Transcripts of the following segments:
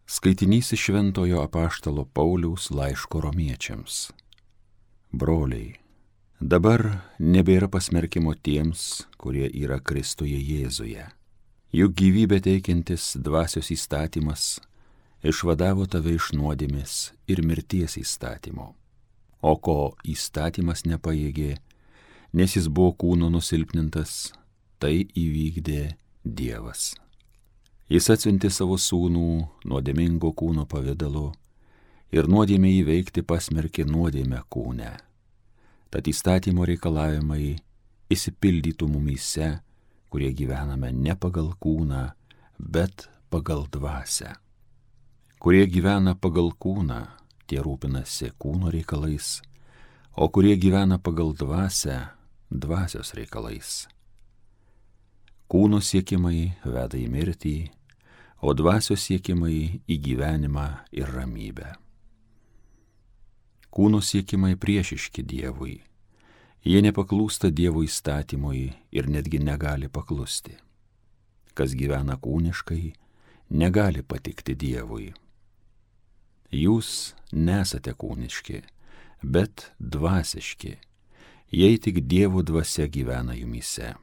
Skaitinys iš Šventojo apaštalo Pauliaus laiško Romiečiams. Broliai, dabar nebėra pasmerkimo tiems, kurie yra Kristuje Jėzuje. Juk gyvybę teikiantis dvasios įstatymas išvadavo tave iš nuodėmės ir mirties įstatymo. O ko įstatymas nepajėgė, nes jis buvo kūno nusilpnintas, tai įvykdė Dievas. Jis atsiuntė savo sūnų nuodėmingo kūno pavidalu ir nuodėmę įveikti pasmerkė nuodėmę kūne. Tad įstatymo reikalavimai išsipildytų mumyse, kurie gyvename ne pagal kūną, bet pagal dvasią. Kurie gyvena pagal kūną, tie rūpinasi kūno reikalais, o kurie gyvena pagal dvasią, dvasios reikalais. Kūno siekimai veda į mirtį, o dvasios siekimai į gyvenimą ir ramybę. Kūno siekimai priešiški Dievui. Jie nepaklūsta Dievo įstatymui ir netgi negali paklusti. Kas gyvena kūniškai, negali patikti Dievui. Jūs nesate kūniški, bet dvasiški, jei tik Dievo dvasia gyvena jumyse.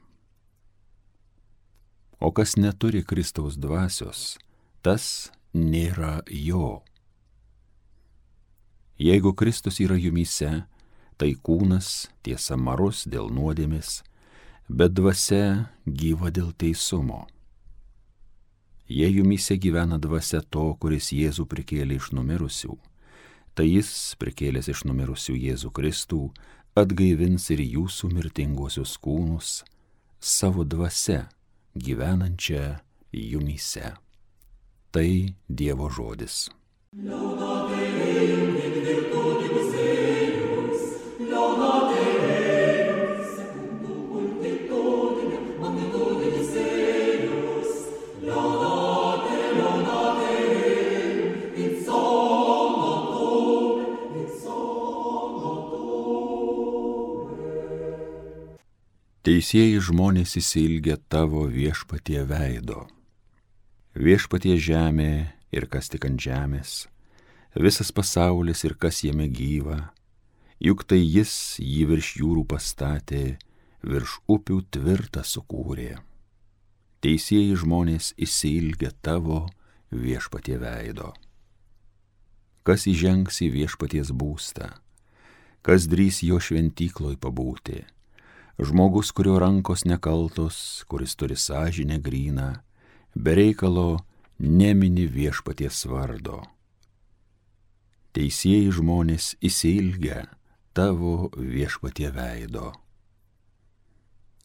O kas neturi Kristaus dvasios, tas nėra jo. Jeigu Kristus yra jumyse, tai kūnas tiesa marus dėl nuodėmės, bet dvasia gyva dėl teisumo. Jei jumyse gyvena dvasia to, kuris Jėzų prikėlė iš numirusių, tai jis, prikėlęs iš numirusių Jėzų Kristų, atgaivins ir jūsų mirtinguosius kūnus savo dvasia, gyvenančią jumyse. Tai Dievo žodis. Teisieji žmonės išsiilgia tavo Viešpatie veido. Viešpatie žemė ir kas tik ant žemės, visas pasaulis ir kas jame gyva, juk tai jis jį virš jūrų pastatė, virš upių tvirtą sukūrė. Teisieji žmonės išsiilgia tavo Viešpatie veido. Kas įžengs į Viešpaties būstą, kas drįs jo šventykloj pabūti, žmogus, kurio rankos nekaltos, kuris turi sąžinę gryną, be reikalo nemini Viešpaties vardo. Teisieji žmonės išsiilgia tavo Viešpatie veido.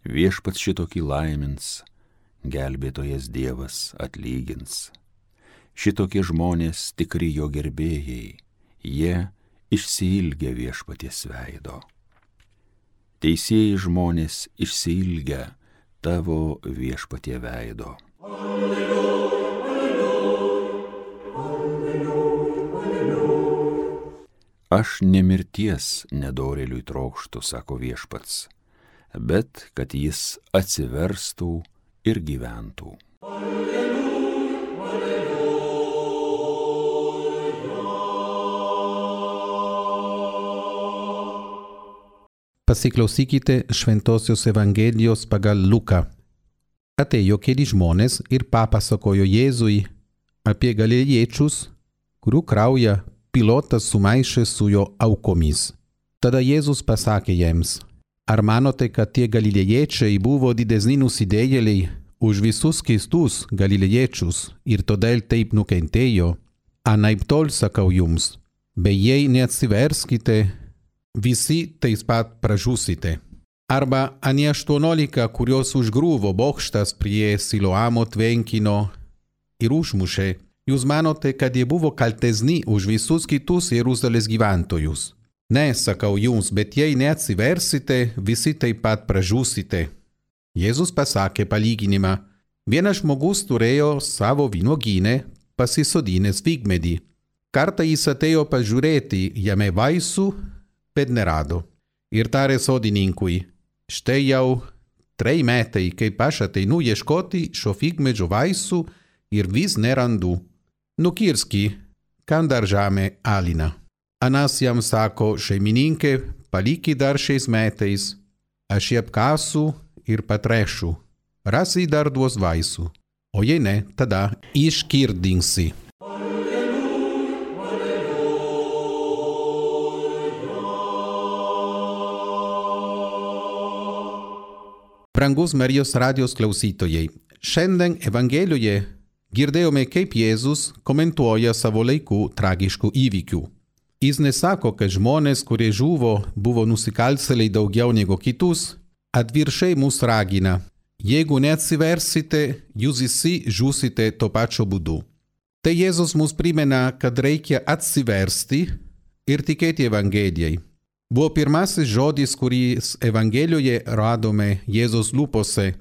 Viešpats šitokį laimins, gelbėtojas Dievas atlygins. Šitokie žmonės tikri jo gerbėjai, jie išsiilgia Viešpaties veido. Teisieji žmonės išsiilgia tavo Viešpatie veido. Alleluja, alleluja, alleluja, alleluja. Aš ne mirties nedorėliui trokštu, sako Viešpats, bet kad jis atsiverstų ir gyventų. Alleluja, alleluja. Pasiklausykite Šventosios Evangelijos pagal Luką. Atėjo keli žmonės ir papasakojo Jėzui apie galilėjiečius, kurių kraują Pilotas sumaišė su jo aukomis. Tada Jėzus pasakė jiems: ar manote, kad tie galilėjiečiai buvo didesni nusidėjėliai už visus keistus galilėjiečius ir todėl taip nukentėjo? Anaiptol sakau jums, bet jei neatsiverskite, visi taip pat pražūsite. Arba anie 18, kurios užgriuvo bokštas prie Siloamo tvenkinio ir užmušė, jūs manote, kad jie buvo kaltesni už visus kitus Jeruzalės gyventojus? Ne, sakau jums, bet jei neatsiversite, visi taip pat pražūsite. Jėzus pasakė palyginimą: vienas žmogus turėjo savo vynuogyne pasisodinęs figmedį. Kartą jis atėjo pažiūrėti jame vaisių, bet nerado. Ir tarė sodininkui: štai jau 3 metai, kaip aš ateinu ieškoti šio figmedžio vaisių ir vis nerandu. nukirski, kam dar žeme alina. Anas jam sako, šeimininkė, paliki dar 6 metais, aš jį apkasiu ir patrešiu, rasi dar duos vaisių, o jei ne, tada iškirdinsi. Brangus Marijos radijos klausytojai, šiandien Evangelijoje girdėjome, kaip Jėzus komentuoja savo laikų tragiškų įvykių. Jis nesako, kad žmonės, kurie žuvo, buvo nusikaltėliai daugiau negu kitus, atvirkščiai mus ragina. Jeigu neatsiversite, jūs visi žūsite to pačiu būdu. Tai Jėzus mus primena, kad reikia atsiversti ir tikėti Evangelijai. Buvo pirmasis žodis, kuris Evangelijoje radome Jėzus lūpose.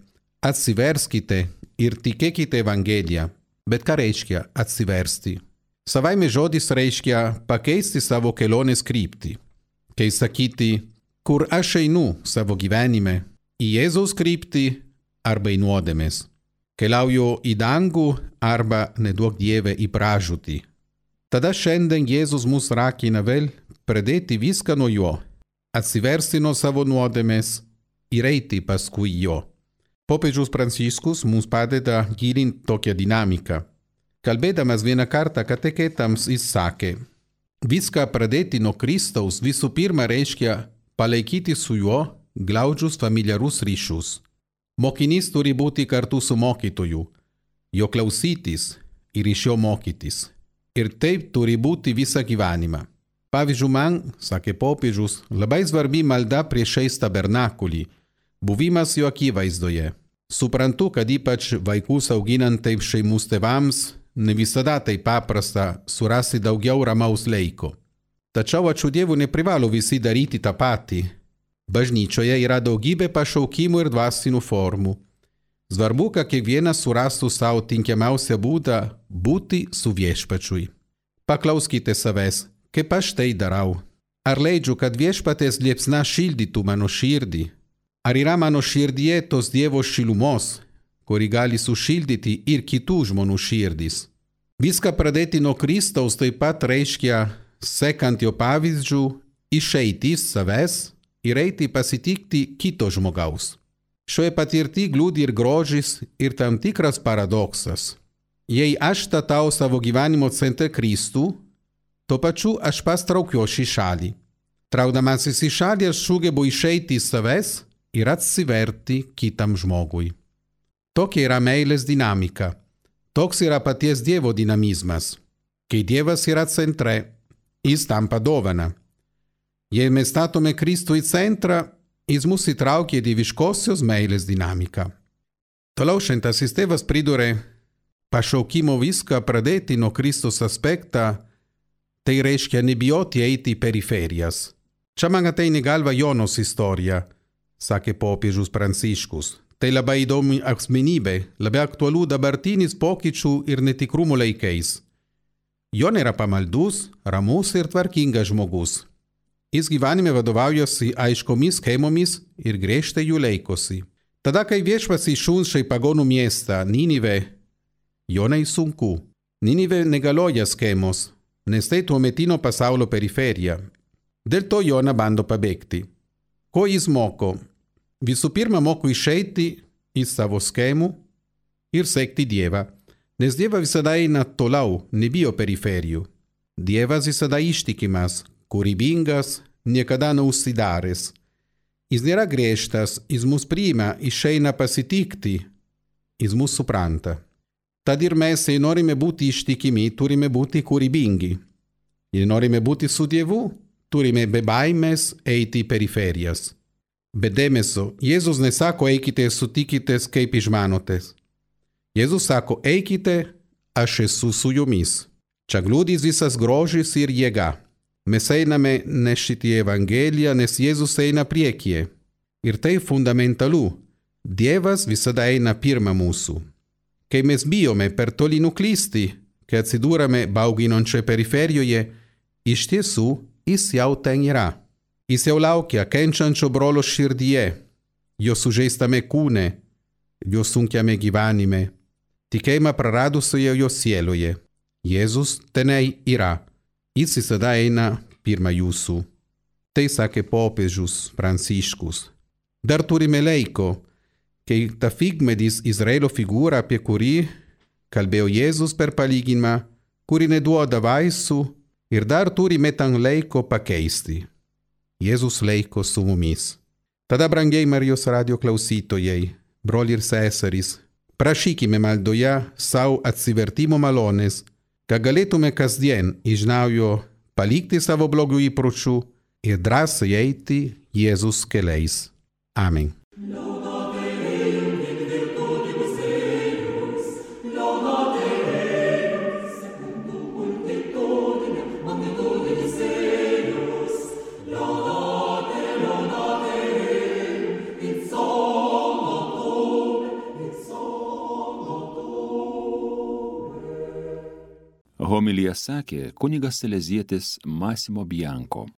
Atsiverskite ir tikėkite Evangeliją. Bet ką reiškia atsiversti? Savaime žodis reiškia pakeisti savo kelionės kryptį. Kai sakyti, kur aš einu savo gyvenime, į Jėzaus kryptį arba į nuodėmes. Keliauju į dangų arba, neduok Dieve, į pražūtį. Tada šiandien Jėzus mus ragina vėl pradėti viską nuo jo, atsiversti nuo savo nuodėmės ir eiti paskui jo. Popiežius Pranciškus mums padeda gilinti tokią dinamiką. Kalbėdamas vieną kartą kateketams jis sakė, viską pradėti nuo Kristaus visų pirma reiškia palaikyti su juo glaudžius familiarus ryšius. Mokinys turi būti kartu su mokytoju, jo klausytis ir iš jo mokytis. Ir taip turi būti visą gyvenimą. Pavyzdžiui, man, sakė popiežius, labai svarbi malda prieš tabernakulį, buvimas jo akivaizdoje. Suprantu, kad ypač vaikus auginant taip šeimos tėvams, ne visada tai paprasta surasti daugiau ramaus laiko. Tačiau ačiū Dievui neprivalo visi daryti tą patį. Bažnyčioje yra daugybė pašaukimų ir dvasinių formų. Svarbu, kad kiekvienas surastų savo tinkamiausią būdą būti su viešpačiui. Paklauskite savęs, kaip aš tai darau. Ar leidžiu, kad viešpatės liepsna šildytų mano širdį? Ar yra mano širdyje tos Dievo šilumos, kuri gali sušildyti ir kitų žmonių širdis? Viską pradėti nuo Kristaus taip pat reiškia, sekant jo pavyzdžių, išeiti iš savęs ir eiti pasitikti kito žmogaus. Šioje patirti glūdi ir grožis, ir tam tikras paradoksas. Jei aš statau savo gyvenimo centre Kristų, tuo pačiu aš pats traukiuosi į šalį. Traukdamasis į šalį aš sugebu išeiti iš savęs ir atsiverti kitam žmogui. Tokia yra meilės dinamika. Toks yra paties Dievo dinamizmas. Kai Dievas yra centre, jis tampa dovana. Jei mes statome Kristų į centrą, jis mus įtraukia į dieviškosios meilės dinamiką. Toliau šventasis tėvas pridūrė, pašaukimo viską pradėti nuo Kristus aspektą, tai reiškia nebijoti eiti į periferijas. Čia man ateina į galvą Jonos istorija, sakė popiežius Pranciškus. Tai labai įdomi asmenybė, labai aktualių dabartinis pokyčių ir netikrumų laikais. Jona yra pamaldus, ramus ir tvarkingas žmogus. Jis gyvenime vadovaujasi aiškomis schemomis ir griežtai jų laikosi. Tada, kai viešpats išsiunčia į pagonų miestą Ninive, Jonai sunku. Ninive negalioja schemos, nes tai tuometinio pasaulio periferija. Dėl to Jona bando pabėgti. Ko jis moko? Visų pirma, moko išeiti iš savo schemų ir sekti Dievą, nes Dievas visada eina toliau, nebijo periferijų. Dievas visada ištikimas, kūrybingas, niekada neužsidaręs. Jis nėra griežtas, jis mus priima, išeina pasitikti, jis mus supranta. Tad ir mes, jei norime būti ištikimi, turime būti kūrybingi. Jei norime būti su Dievu, turime be baimės eiti į periferijas. Bet dėmesio, Jėzus nesako eikite ir sutikitės kaip išmanotės. Jėzus sako eikite, aš esu su jumis. Čia glūdis visas grožis ir jėga. Mes einame nešti Evangeliją, nes Jėzus eina priekyje. Ir tai fundamentalu. Dievas visada eina pirma mūsų. Kai mes bijome per toli nuklysti, kai atsidūrame bauginančioje periferijoje, iš tiesų jis jau ten yra. Jis jau laukia kenčiančio brolio širdyje, jo sužeistame kūne, jo sunkiame gyvenime, tikėjimą praradusioje jo sieloje. Jėzus tenai yra, jis visada eina pirma jūsų. Tai sakė popiežius Pranciškus. Dar turime laiko, kai ta figmedis Izraelio figūra, apie kurį kalbėjo Jėzus per palyginimą, kuri neduoda vaisių ir dar turime tam laiko pakeisti. Jėzus laiko su mumis. Tada, brangiai Marijos radio klausytojai, broliai ir seserys, prašykime maldoje sau atsivertimo malonės, kad galėtume kasdien iš naujo palikti savo blogų įpročių ir drąsiai eiti Jėzus keliais. Amen. Homiliją sakė kunigas salezietis Massimo Bianco.